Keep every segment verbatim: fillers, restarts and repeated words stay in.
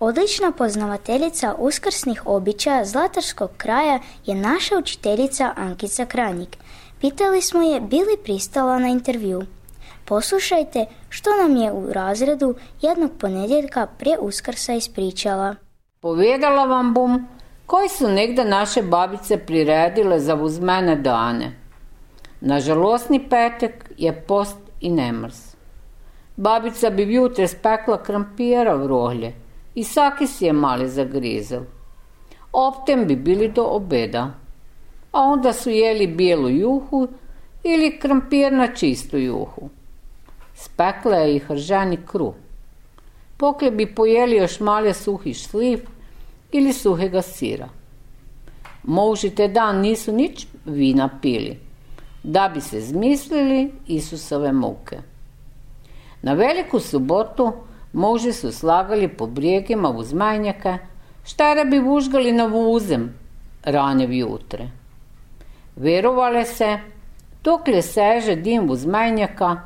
Odlična poznavateljica uskrsnih običaja zlatarskog kraja je naša učiteljica Ankica Krajnik. Pitali smo je bi li pristala na intervju. Poslušajte što nam je u razredu jednog ponedjeljka prije Uskrsa ispričala. Povedala vam bom, koji su negde naše babice priredile za uzmene dane. Na žalostni petek je post i nemrs. Babica bi vjutre spekla krampira v rohlje i saki si je mali zagrizel. Optem bi bili do obeda, a onda su jeli bijelu juhu ili krampir na čistu juhu. Spekla je i hrženi kruh. Poslije bi pojeli još malje suhi šljiv ili suhega sira. Muži te dan nisu nič vina pili, da bi se zmislili Isusove muke. Na veliku subotu muži su slagali po brijegima uz majnjake, štare bi vužgali na vuzem rane vjutre. Verovale se, dokle seže dim uz majnjaka,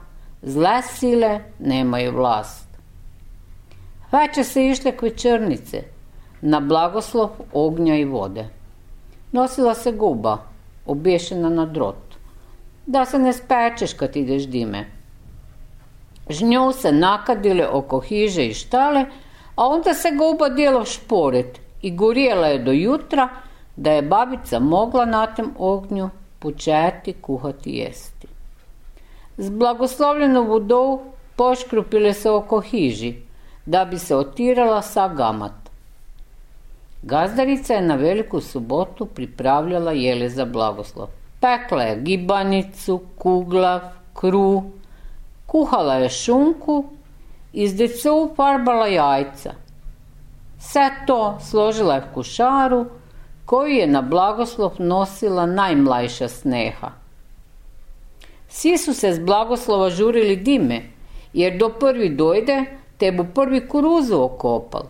zle sile nemaju vlast. Veče se išle k večernice, na blagoslov ognja i vode. Nosila se guba, obješena na drot, da se ne spečeš kad ideš dime. Žnjo se nakadile oko hiže i štale, a onda se guba dijela šporet i gorijela je do jutra, da je babica mogla na tem ognju početi kuhati jesti. Z blagoslovljenom vodou poškrupile se oko hiži, da bi se otirala sa gamat. Gazdarica je na veliku subotu pripravljala jele za blagoslov. Pekla je gibanicu, kuglav, kruh, kuhala je šunku i z decu farbala jajca. Sve to složila je v kušaru, koju je na blagoslov nosila najmlajša Sneha. Svi su se z blagoslova žurili dime, jer do prvi dojde, te bo prvi kuruzu okopal.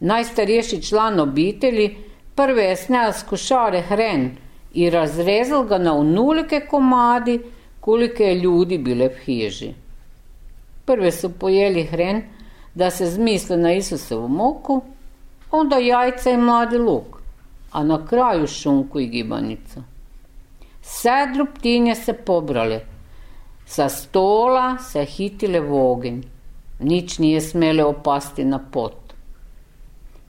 Najstarejši član obitelji prve je snel z košare hren i razrezal ga na onulike komadi, kolike je ljudi bile v hiži. Prve su pojeli hren, da se zmisle na Isusovu muku, onda jajca i mladi luk, a na kraju šunku i gibanicu. Sve drobtinje se pobrale, sa stola se hitile v ogenj, nič nije smele opasti na pot.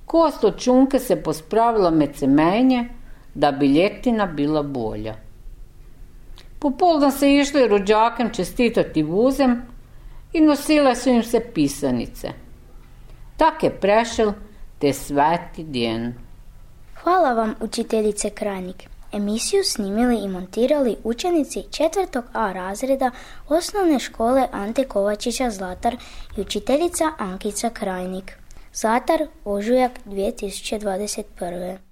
Kost od šunke se pospravila med semenje, da bi ljetina bila bolja. Popoldan se išli rođakem čestitati vuzem i nosile su im se pisanice. Tak je prešel te sveti djen. Hvala vam, učiteljice Krajnik. Emisiju snimili i montirali učenici četvrtog A razreda osnovne škole Ante Kovačića Zlatar i učiteljica Ankica Krajnik. Zlatar, ožujak dvije tisuće dvadeset prve.